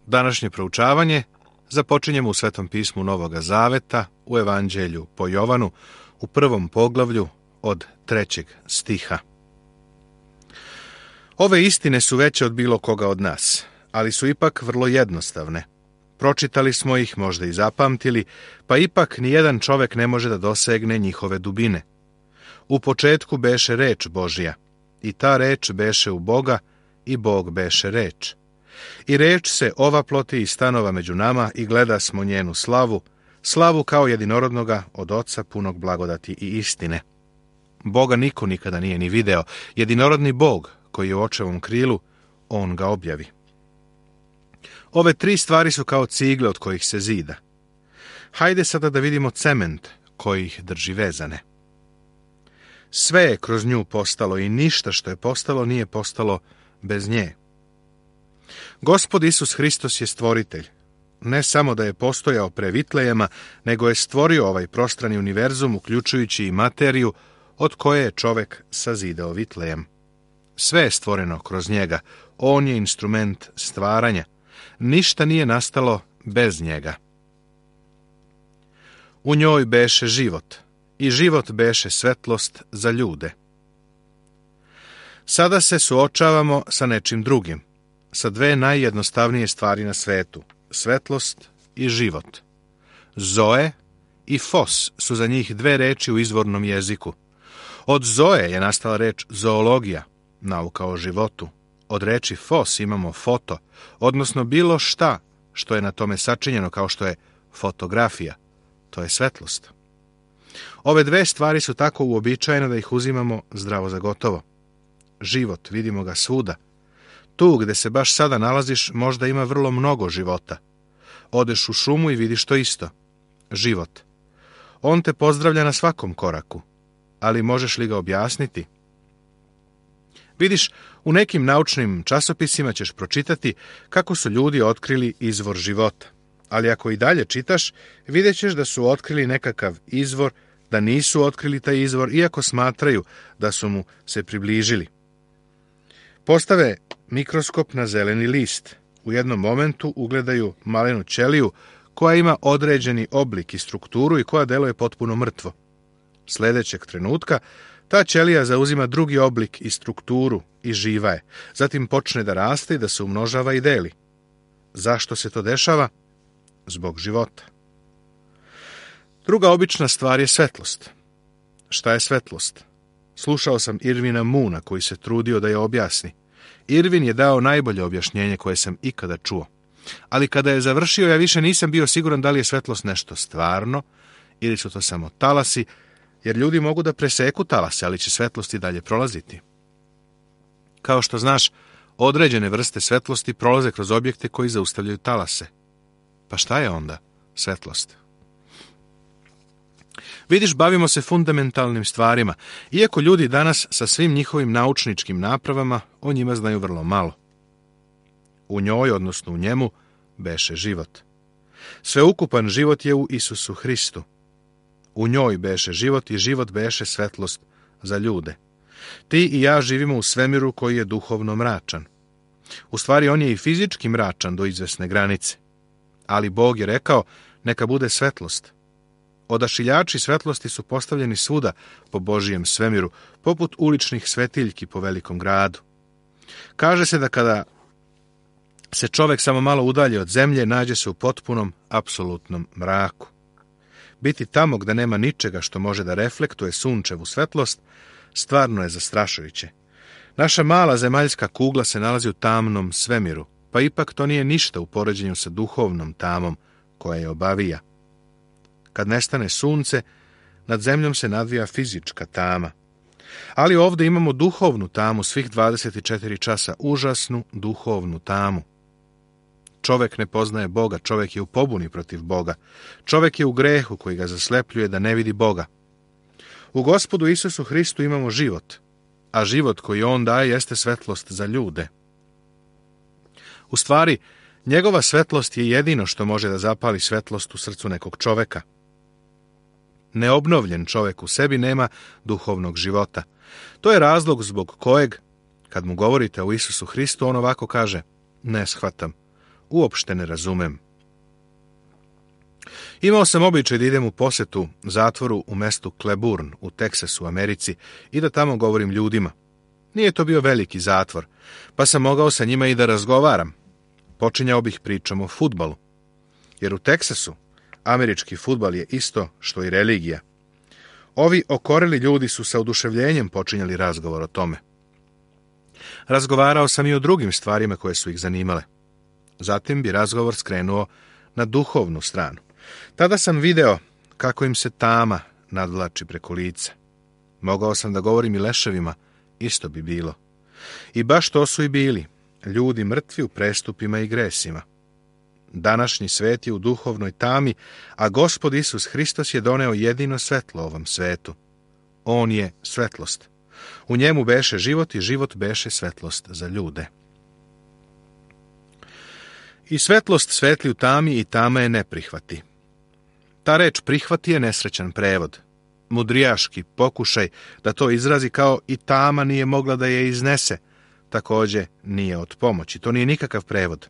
Današnje proučavanje započinjemo u Svetom pismu Novoga Zaveta, u Evanđelju po Jovanu, u 1. poglavlju od 3. stiha. Ove istine su veće od bilo koga od nas, ali su ipak vrlo jednostavne. Pročitali smo ih, možda i zapamtili, pa ipak nijedan čovek ne može da dosegne njihove dubine. U početku beše reč Božja, i ta reč beše u Boga, i Bog beše reč. I reč se ovaploti i stanova među nama i gleda smo njenu slavu, slavu kao jedinorodnoga od Oca punog blagodati i istine. Boga niko nikada nije ni video, jedinorodni Bog koji je u očevom krilu, on ga objavi. Ove tri stvari su kao cigle od kojih se zida. Hajde sada da vidimo cement koji ih drži vezane. Sve je kroz nju postalo i ništa što je postalo nije postalo bez nje. Gospod Isus Hristos je stvoritelj. Ne samo da je postojao pre Vitlejema, nego je stvorio ovaj prostrani univerzum, uključujući i materiju od koje je čovek sazidao Vitlejem. Sve je stvoreno kroz njega. On je instrument stvaranja. Ništa nije nastalo bez njega. U njoj beše život, i život beše svetlost za ljude. Sada se suočavamo sa nečim drugim, sa dve najjednostavnije stvari na svetu, svetlost i život. Zoe i fos su za njih dve reči u izvornom jeziku. Od zoe je nastala reč zoologija, nauka o životu. Od reči fos imamo foto, odnosno bilo šta što je na tome sačinjeno, kao što je fotografija. To je svetlost. Ove dve stvari su tako uobičajene da ih uzimamo zdravo za gotovo. Život, vidimo ga svuda. Tu gde se baš sada nalaziš možda ima vrlo mnogo života. Odeš u šumu i vidiš to isto. Život. On te pozdravlja na svakom koraku. Ali možeš li ga objasniti? Vidiš, u nekim naučnim časopisima ćeš pročitati kako su ljudi otkrili izvor života. Ali ako i dalje čitaš, vidjet ćeš da su otkrili nekakav izvor, da nisu otkrili taj izvor, iako smatraju da su mu se približili. Postave mikroskop na zeleni list. U jednom momentu ugledaju malenu ćeliju koja ima određeni oblik i strukturu i koja deluje potpuno mrtvo. Sledećeg trenutka ta ćelija zauzima drugi oblik i strukturu i živa je. Zatim počne da raste i da se umnožava i deli. Zašto se to dešava? Zbog života. Druga obična stvar je svetlost. Šta je svetlost? Slušao sam Irvina Moona koji se trudio da je objasni. Irvin je dao najbolje objašnjenje koje sam ikada čuo. Ali kada je završio, ja više nisam bio siguran da li je svetlost nešto stvarno ili su to samo talasi, jer ljudi mogu da preseku talase, ali će svetlost i dalje prolaziti. Kao što znaš, određene vrste svetlosti prolaze kroz objekte koji zaustavljaju talase. Pa šta je onda svetlost? Vidiš, bavimo se fundamentalnim stvarima, iako ljudi danas sa svim njihovim naučničkim napravama o njima znaju vrlo malo. U njoj, odnosno u njemu, beše život. Sveukupan život je u Isusu Hristu. U njoj beše život i život beše svetlost za ljude. Ti i ja živimo u svemiru koji je duhovno mračan. U stvari, on je i fizički mračan do izvesne granice. Ali Bog je rekao, neka bude svetlost. Odašiljači svetlosti su postavljeni svuda po Božijem svemiru, poput uličnih svetiljki po velikom gradu. Kaže se da kada se čovek samo malo udalji od zemlje, nađe se u potpunom, apsolutnom mraku. Biti tamo gde nema ničega što može da reflektuje sunčevu svetlost, stvarno je zastrašujuće. Naša mala zemaljska kugla se nalazi u tamnom svemiru, pa ipak to nije ništa u poređenju sa duhovnom tamom koja je obavija. Kad nestane sunce, nad zemljom se nadvija fizička tama. Ali ovdje imamo duhovnu tamu svih 24 časa, užasnu duhovnu tamu. Čovek ne poznaje Boga, čovek je u pobuni protiv Boga. Čovek je u grehu koji ga zaslepljuje da ne vidi Boga. U Gospodu Isusu Hristu imamo život, a život koji on daje jeste svetlost za ljude. U stvari, njegova svetlost je jedino što može da zapali svetlost u srcu nekog čoveka. Neobnovljen čovek u sebi nema duhovnog života. To je razlog zbog kojeg, kad mu govorite o Isusu Hristu, on ovako kaže, ne shvatam. uopšte ne razumem. Imao sam običaj da idem u posetu zatvoru u mestu Cleburne u Teksasu, Americi, i da tamo govorim ljudima. Nije to bio veliki zatvor, pa sam mogao sa njima i da razgovaram. Počinjao bih pričom o fudbalu. Jer u Teksasu američki fudbal je isto što i religija. Ovi okoreli ljudi su sa oduševljenjem počinjali razgovor o tome. Razgovarao sam i o drugim stvarima koje su ih zanimale. Zatim bi razgovor skrenuo na duhovnu stranu. Tada sam video kako im se tama nadvlači preko lica. Mogao sam da govorim i leševima, isto bi bilo. I baš to su i bili, ljudi mrtvi u prestupima i gresima. Današnji svet je u duhovnoj tami, a Gospod Isus Hristos je doneo jedino svetlo ovom svetu. On je svetlost. U njemu beše život i život beše svetlost za ljude. I svetlost svetli u tami i tama je ne prihvati. Ta reč prihvati je nesrećan prevod. Mudrijaški pokušaj da to izrazi kao i tama nije mogla da je iznese, također nije od pomoći. To nije nikakav prevod.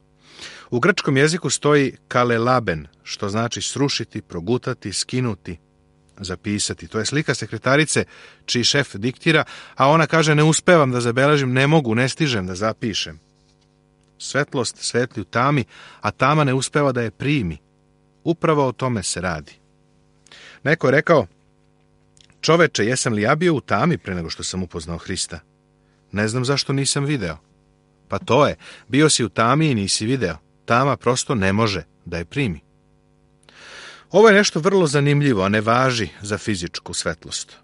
U grčkom jeziku stoji kalelaben, što znači srušiti, progutati, skinuti, zapisati. To je slika sekretarice čiji šef diktira, a ona kaže ne uspevam da zabeležim, ne mogu, ne stižem da zapišem. Svetlost svetli u tami, a tama ne uspeva da je primi. Upravo o tome se radi. Neko je rekao, čoveče, jesam li ja bio u tami pre nego što sam upoznao Hrista? Ne znam zašto nisam video. Pa to je, bio si u tami i nisi video. Tama prosto ne može da je primi. Ovo je nešto vrlo zanimljivo, a ne važi za fizičku svetlost.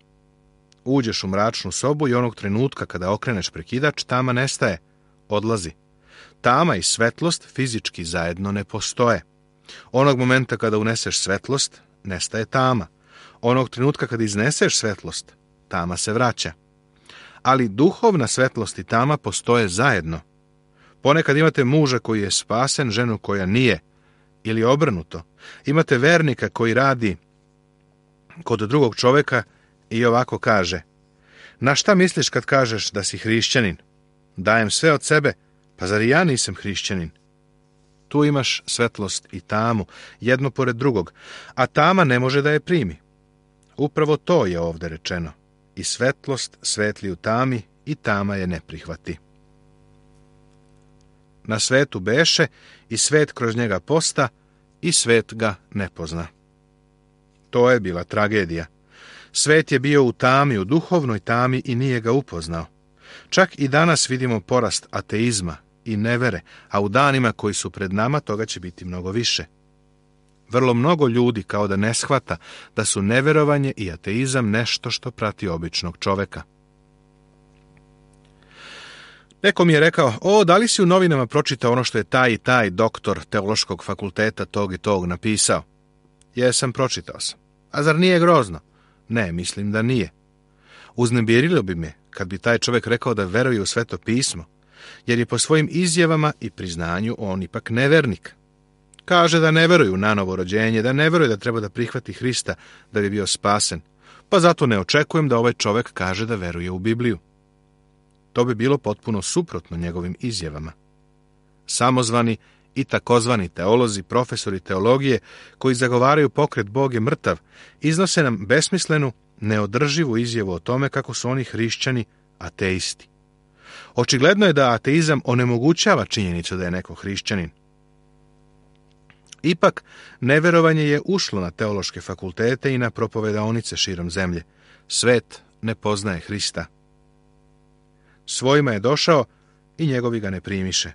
Uđeš u mračnu sobu i onog trenutka kada okreneš prekidač, tama nestaje, odlazi. Tama i svetlost fizički zajedno ne postoje. Onog momenta kada uneseš svetlost, nestaje tama. Onog trenutka kada izneseš svetlost, tama se vraća. Ali duhovna svetlost i tama postoje zajedno. Ponekad imate muža koji je spasen, ženu koja nije, ili obrnuto. Imate vernika koji radi kod drugog čoveka i ovako kaže, na šta misliš kad kažeš da si hrišćanin? Dajem sve od sebe, pa zar i ja nisam hrišćanin? Tu imaš svetlost i tamu, jedno pored drugog, a tama ne može da je primi. Upravo to je ovdje rečeno. I svetlost svetli u tami i tama je ne prihvati. Na svetu beše i svet kroz njega posta i svet ga ne pozna. To je bila tragedija. Svet je bio u tami, u duhovnoj tami i nije ga upoznao. Čak i danas vidimo porast ateizma i nevere, a u danima koji su pred nama toga će biti mnogo više. Vrlo mnogo ljudi kao da ne shvata da su neverovanje i ateizam nešto što prati običnog čoveka. Neko mi je rekao, da li si u novinama pročitao ono što je taj i taj doktor teološkog fakulteta tog i tog napisao? Jesam, pročitao sam. A zar nije grozno? Ne, mislim da nije. Uznemirilo bi me kad bi taj čovjek rekao da veruje u Sveto pismo, jer je po svojim izjavama i priznanju on ipak nevernik. Kaže da ne veruje u nanovo rođenje, da ne veruje da treba da prihvati Hrista da bi bio spasen, pa zato ne očekujem da ovaj čovjek kaže da veruje u Bibliju. To bi bilo potpuno suprotno njegovim izjavama. Samozvani i takozvani teolozi, profesori teologije, koji zagovaraju pokret Bog je mrtav, iznose nam besmislenu, neodrživu izjavu o tome kako su oni hrišćani ateisti. Očigledno je da ateizam onemogućava činjenicu da je neko hrišćanin. Ipak, neverovanje je ušlo na teološke fakultete i na propovedaonice širom zemlje. Svet ne poznaje Hrista. Svojima je došao i njegovi ga ne primiše.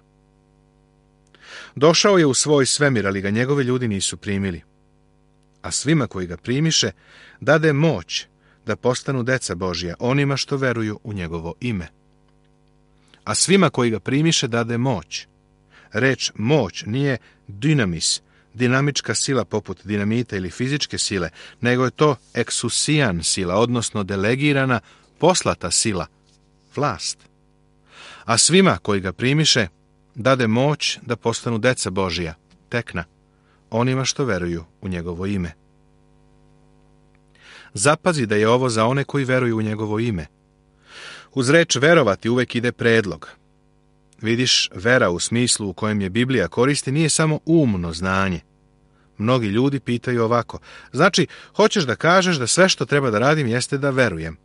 Došao je u svoj svemir, ali ga njegovi ljudi nisu primili. A svima koji ga primiše, dade moć da postanu deca Božja, onima što veruju u njegovo ime. A svima koji ga primiše, dade moć. Reč moć nije dynamis, dinamička sila poput dinamita ili fizičke sile, nego je to eksusijan sila, odnosno delegirana, poslata sila, vlast. A svima koji ga primiše, dade moć da postanu deca Božija, tekna, onima što veruju u njegovo ime. Zapazi da je ovo za one koji veruju u njegovo ime. Uz reč verovati uvek ide predlog. Vidiš, vera u smislu u kojem je Biblija koristi nije samo umno znanje. Mnogi ljudi pitaju ovako: znači, hoćeš da kažeš da sve što treba da radim jeste da verujem?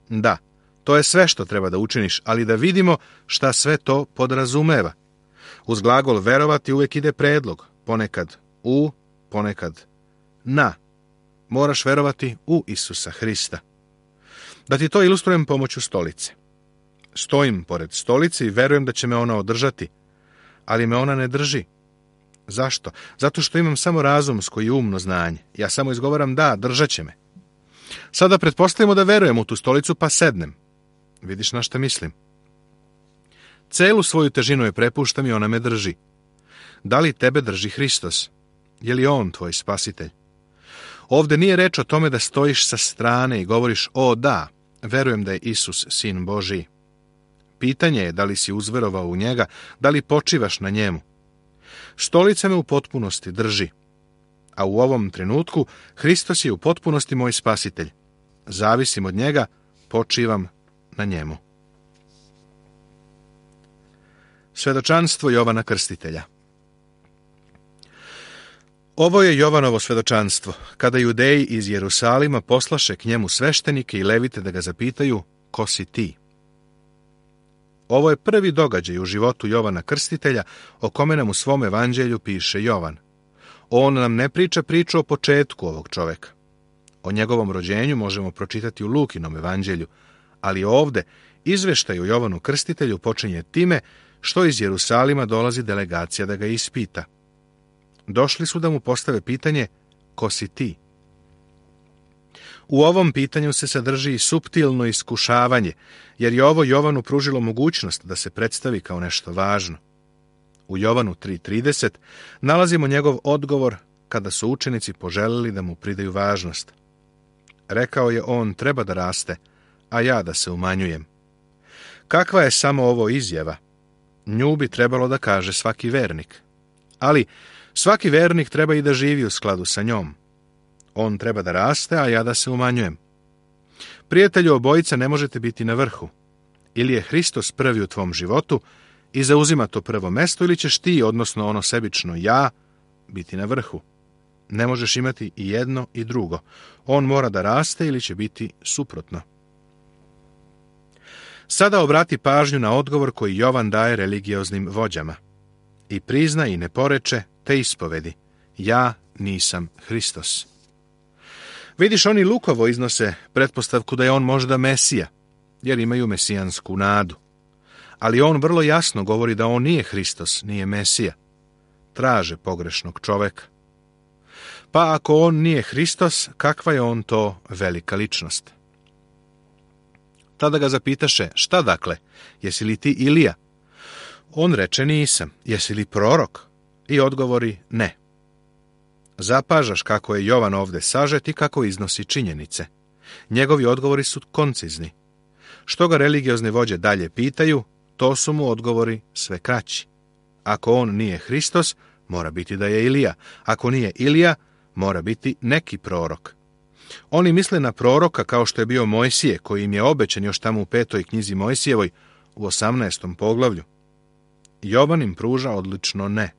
Da, to je sve što treba da učiniš, ali da vidimo šta sve to podrazumeva. Uz glagol verovati uvijek ide predlog, ponekad u, ponekad na. Moraš verovati u Isusa Hrista. Da ti to ilustrujem pomoću stolice. Stojim pored stolice i verujem da će me ona održati, ali me ona ne drži. Zašto? Zato što imam samo razumsko i umno znanje. Ja samo izgovaram da, držat će me. Sada pretpostavimo da verujem u tu stolicu pa sednem. Vidiš na šta mislim? Celu svoju težinu je prepuštam i ona me drži. Da li tebe drži Hristos? Je li on tvoj spasitelj? Ovdje nije reč o tome da stojiš sa strane i govoriš: o da, verujem da je Isus Sin Božiji. Pitanje je da li si uzverovao u njega, da li počivaš na njemu. Stolica me u potpunosti drži, a u ovom trenutku Hristos je u potpunosti moj spasitelj. Zavisim od njega, počivam na njemu. Svedočanstvo Jovana Krstitelja. Ovo je Jovanovo svedočanstvo, kada Judeji iz Jerusalima poslaše k njemu sveštenike i levite da ga zapitaju: ko si ti? Ovo je prvi događaj u životu Jovana Krstitelja o kome nam u svom evanđelju piše Jovan. On nam ne priča priču o početku ovog čoveka. O njegovom rođenju možemo pročitati u Lukinom evanđelju, ali ovde izveštaj o Jovanu Krstitelju počinje time što iz Jerusalima dolazi delegacija da ga ispita. Došli su da mu postave pitanje: ko si ti? U ovom pitanju se sadrži i suptilno iskušavanje, jer je ovo Jovanu pružilo mogućnost da se predstavi kao nešto važno. U Jovanu 3:30 nalazimo njegov odgovor kada su učenici poželili da mu pridaju važnost. Rekao je on: treba da raste, a ja da se umanjujem. Kakva je samo ovo izjava? Nju bi trebalo da kaže svaki vernik. Ali svaki vernik treba i da živi u skladu sa njom. On treba da raste, a ja da se umanjujem. Prijatelju, obojica ne možete biti na vrhu. Ili je Hristos prvi u tvom životu i zauzima to prvo mesto, ili ćeš ti, odnosno ono sebično ja, biti na vrhu. Ne možeš imati i jedno i drugo. On mora da raste ili će biti suprotno. Sada obrati pažnju na odgovor koji Jovan daje religioznim vođama. I prizna i ne poreče, te ispovedi: ja nisam Hristos. Vidiš, oni lukovo iznose pretpostavku da je on možda Mesija, jer imaju mesijansku nadu. Ali on vrlo jasno govori da on nije Hristos, nije Mesija. Traže pogrešnog čoveka. Pa ako on nije Hristos, kakva je on to velika ličnost? Tada ga zapitaše: šta dakle, jesi li ti Ilija? On reče: nisam. Jesi li prorok? I odgovori: ne. Zapažaš kako je Jovan ovde sažet i kako iznosi činjenice. Njegovi odgovori su koncizni. Što ga religiozne vođe dalje pitaju, to su mu odgovori sve kraći. Ako on nije Hristos, mora biti da je Ilija. Ako nije Ilija, mora biti neki prorok. Oni misle na proroka kao što je bio Mojsije, koji im je obećan još tamo u 5. knjizi Mojsijevoj, u 18. poglavlju. Jovan im pruža odlično ne.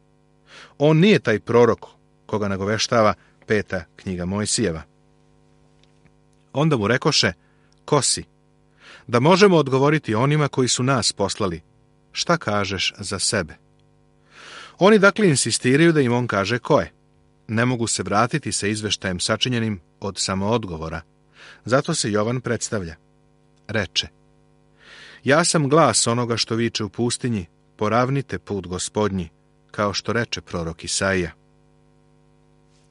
On nije taj prorok koga nagoveštava 5. knjiga Mojsijeva. Onda mu rekoše: ko si? Da možemo odgovoriti onima koji su nas poslali: šta kažeš za sebe? Oni dakle insistiraju da im on kaže ko je. Ne mogu se vratiti sa izveštajem sačinjenim od samoodgovora. Zato se Jovan predstavlja. Reče: ja sam glas onoga što viče u pustinji: poravnite put Gospodnji, kao što reče prorok Isaija.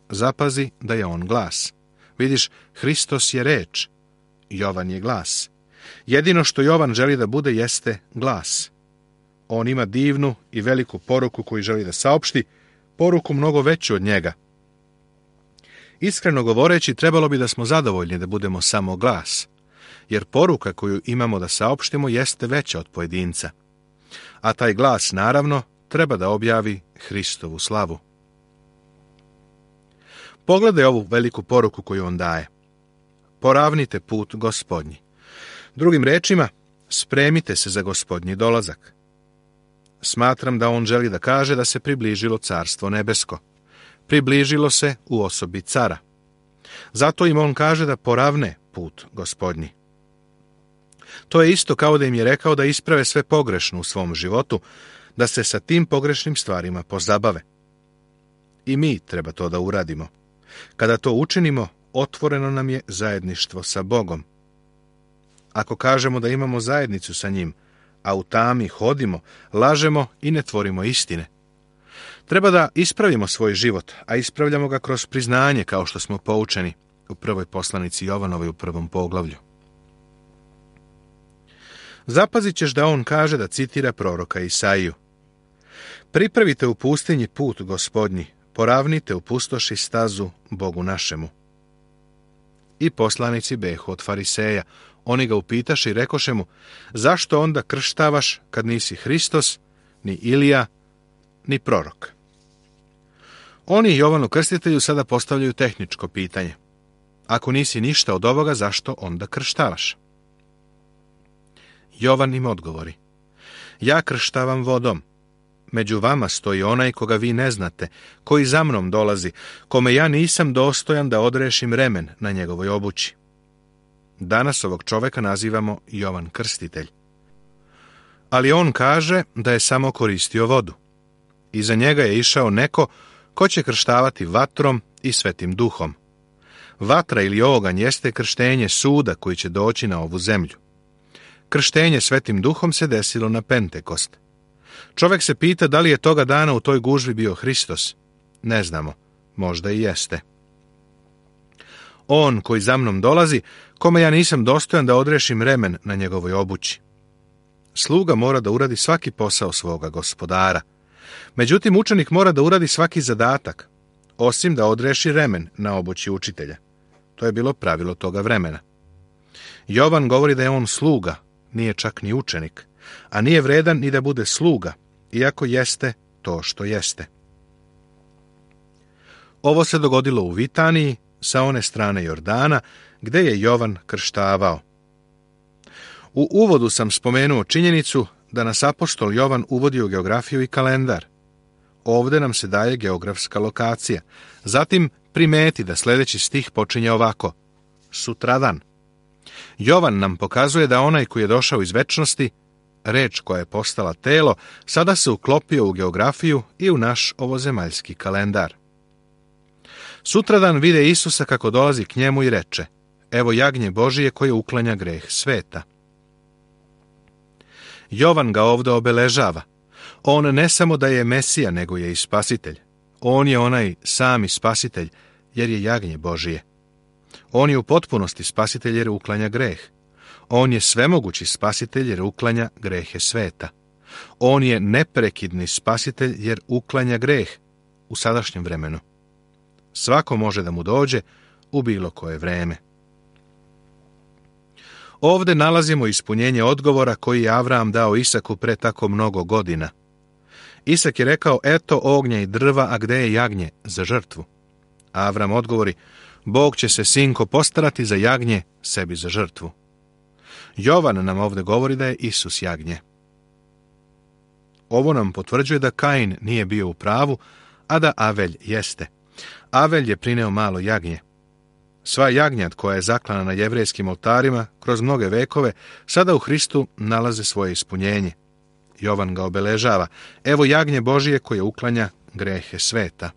Zapazi da je on glas. Vidiš, Hristos je reč, Jovan je glas. Jedino što Jovan želi da bude jeste glas. On ima divnu i veliku poruku koju želi da saopšti, poruku mnogo veću od njega. Iskreno govoreći, trebalo bi da smo zadovoljni da budemo samo glas, jer poruka koju imamo da saopštimo jeste veća od pojedinca. A taj glas, naravno, treba da objavi Hristovu slavu. Pogledaj ovu veliku poruku koju on daje. Poravnite put Gospodnji. Drugim rečima, spremite se za Gospodnji dolazak. Smatram da on želi da kaže da se približilo carstvo nebesko. Približilo se u osobi cara. Zato im on kaže da poravne put Gospodnji. To je isto kao da im je rekao da isprave sve pogrešno u svom životu, da se sa tim pogrešnim stvarima pozabave. I mi treba to da uradimo. Kada to učinimo, otvoreno nam je zajedništvo sa Bogom. Ako kažemo da imamo zajednicu sa njim, a u tami hodimo, lažemo i ne tvorimo istine. Treba da ispravimo svoj život, a ispravljamo ga kroz priznanje, kao što smo poučeni u prvoj poslanici Jovanovoj u 1. poglavlju. Zapazit ćeš da on kaže da citira proroka Isaiju. Pripravite u pustinji put Gospodnji, poravnite u pustoši stazu Bogu našemu. I poslanici behu od fariseja. Oni ga upitaše i rekoše mu, zašto onda krštavaš kad nisi Hristos, ni Ilija, ni prorok? Oni Jovanu Krstitelju sada postavljaju tehničko pitanje. Ako nisi ništa od ovoga, zašto onda krštavaš? Jovan im odgovori, ja krštavam vodom. Među vama stoji onaj koga vi ne znate, koji za mnom dolazi, kome ja nisam dostojan da odrešim remen na njegovoj obući. Danas ovog čoveka nazivamo Jovan Krstitelj. Ali on kaže da je samo koristio vodu. Iza njega je išao neko ko će krštavati vatrom i Svetim Duhom. Vatra ili oganj jeste krštenje suda koji će doći na ovu zemlju. Krštenje Svetim Duhom se desilo na Pentekost. Čovek se pita da li je toga dana u toj gužvi bio Hristos. Ne znamo, možda i jeste. On koji za mnom dolazi, kome ja nisam dostojan da odrešim remen na njegovoj obući. Sluga mora da uradi svaki posao svoga gospodara. Međutim, učenik mora da uradi svaki zadatak, osim da odreši remen na obući učitelja. To je bilo pravilo toga vremena. Jovan govori da je on sluga, nije čak ni učenik, a nije vredan ni da bude sluga, iako jeste to što jeste. Ovo se dogodilo u Vitaniji, sa one strane Jordana, gde je Jovan krštavao. U uvodu sam spomenuo činjenicu da nas apostol Jovan uvodi u geografiju i kalendar. Ovde nam se daje geografska lokacija. Zatim primeti da sljedeći stih počinje ovako. Sutradan. Jovan nam pokazuje da onaj koji je došao iz večnosti, reč koja je postala telo, sada se uklopio u geografiju i u naš ovozemaljski kalendar. Sutradan vide Isusa kako dolazi k njemu i reče, evo jagnje Božije koje uklanja greh sveta. Jovan ga ovdje obeležava. On ne samo da je Mesija, nego je i spasitelj. On je onaj sami spasitelj, jer je jagnje Božije. On je u potpunosti spasitelj jer uklanja greh. On je svemogući spasitelj jer uklanja grehe sveta. On je neprekidni spasitelj jer uklanja greh u sadašnjem vremenu. Svako može da mu dođe u bilo koje vreme. Ovde nalazimo ispunjenje odgovora koji je Avram dao Isaku pre tako mnogo godina. Isak je rekao, eto ognja i drva, a gde je jagnje za žrtvu? Avram odgovori, Bog će se, sinko, postarati za jagnje sebi za žrtvu. Jovan nam ovde govori da je Isus jagnje. Ovo nam potvrđuje da Kain nije bio u pravu, a da Avelj jeste. Avelj je prineo malo jagnje. Sva jagnjad koja je zaklana na jevrejskim oltarima kroz mnoge vekove, sada u Hristu nalaze svoje ispunjenje. Jovan ga obeležava. Evo jagnje Božije koje uklanja grehe sveta.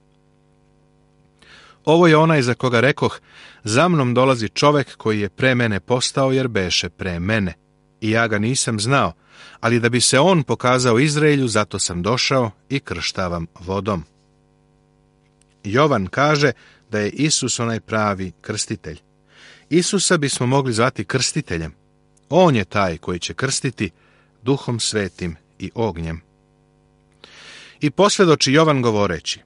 Ovo je onaj za koga rekoh, za mnom dolazi čovek koji je pre mene postao jer beše pre mene. I ja ga nisam znao, ali da bi se on pokazao Izraelju, zato sam došao i krštavam vodom. Jovan kaže da je Isus onaj pravi krstitelj. Isusa bismo mogli zvati krstiteljem. On je taj koji će krstiti Duhom Svetim i ognjem. I posvjedoči Jovan govoreći,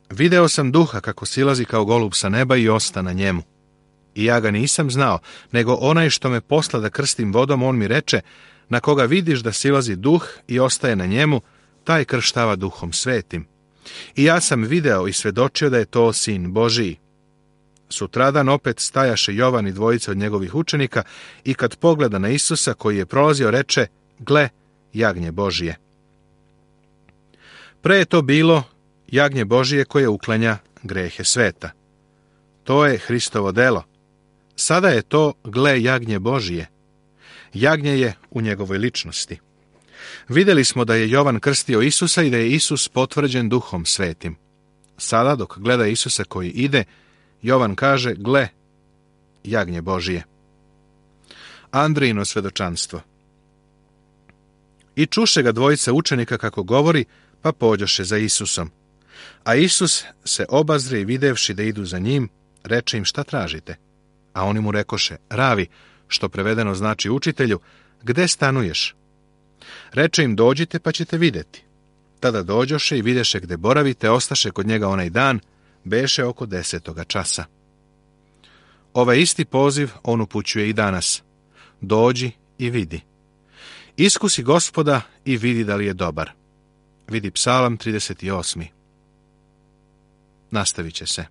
video sam Duha kako silazi kao golub sa neba i osta na njemu. I ja ga nisam znao, nego onaj što me posla da krstim vodom, on mi reče, na koga vidiš da silazi Duh i ostaje na njemu, taj krštava Duhom Svetim. I ja sam video i svedočio da je to Sin Božiji. Sutradan opet stajaše Jovan i dvojica od njegovih učenika i kad pogleda na Isusa koji je prolazio, reče, gle, jagnje Božije. Pre je to bilo jagnje Božije koje uklanja grehe sveta. To je Hristovo delo. Sada je to, gle, jagnje Božije. Jagnje je u njegovoj ličnosti. Vidjeli smo da je Jovan krstio Isusa i da je Isus potvrđen Duhom Svetim. Sada, dok gleda Isusa koji ide, Jovan kaže, gle, jagnje Božije. Andrijino svedočanstvo. I čuše ga dvojice učenika kako govori, pa pođoše za Isusom. A Isus se obazre i videvši da idu za njim, reče im, šta tražite? A oni mu rekoše, ravi, što prevedeno znači učitelju, gde stanuješ? Reče im, dođite pa ćete vidjeti. Tada dođoše i videše gde boravite, ostaše kod njega onaj dan, beše oko 10. časa. Ovaj isti poziv on upućuje i danas. Dođi i vidi. Iskusi Gospoda i vidi da li je dobar. Vidi Psalam 38. Nastavit će se.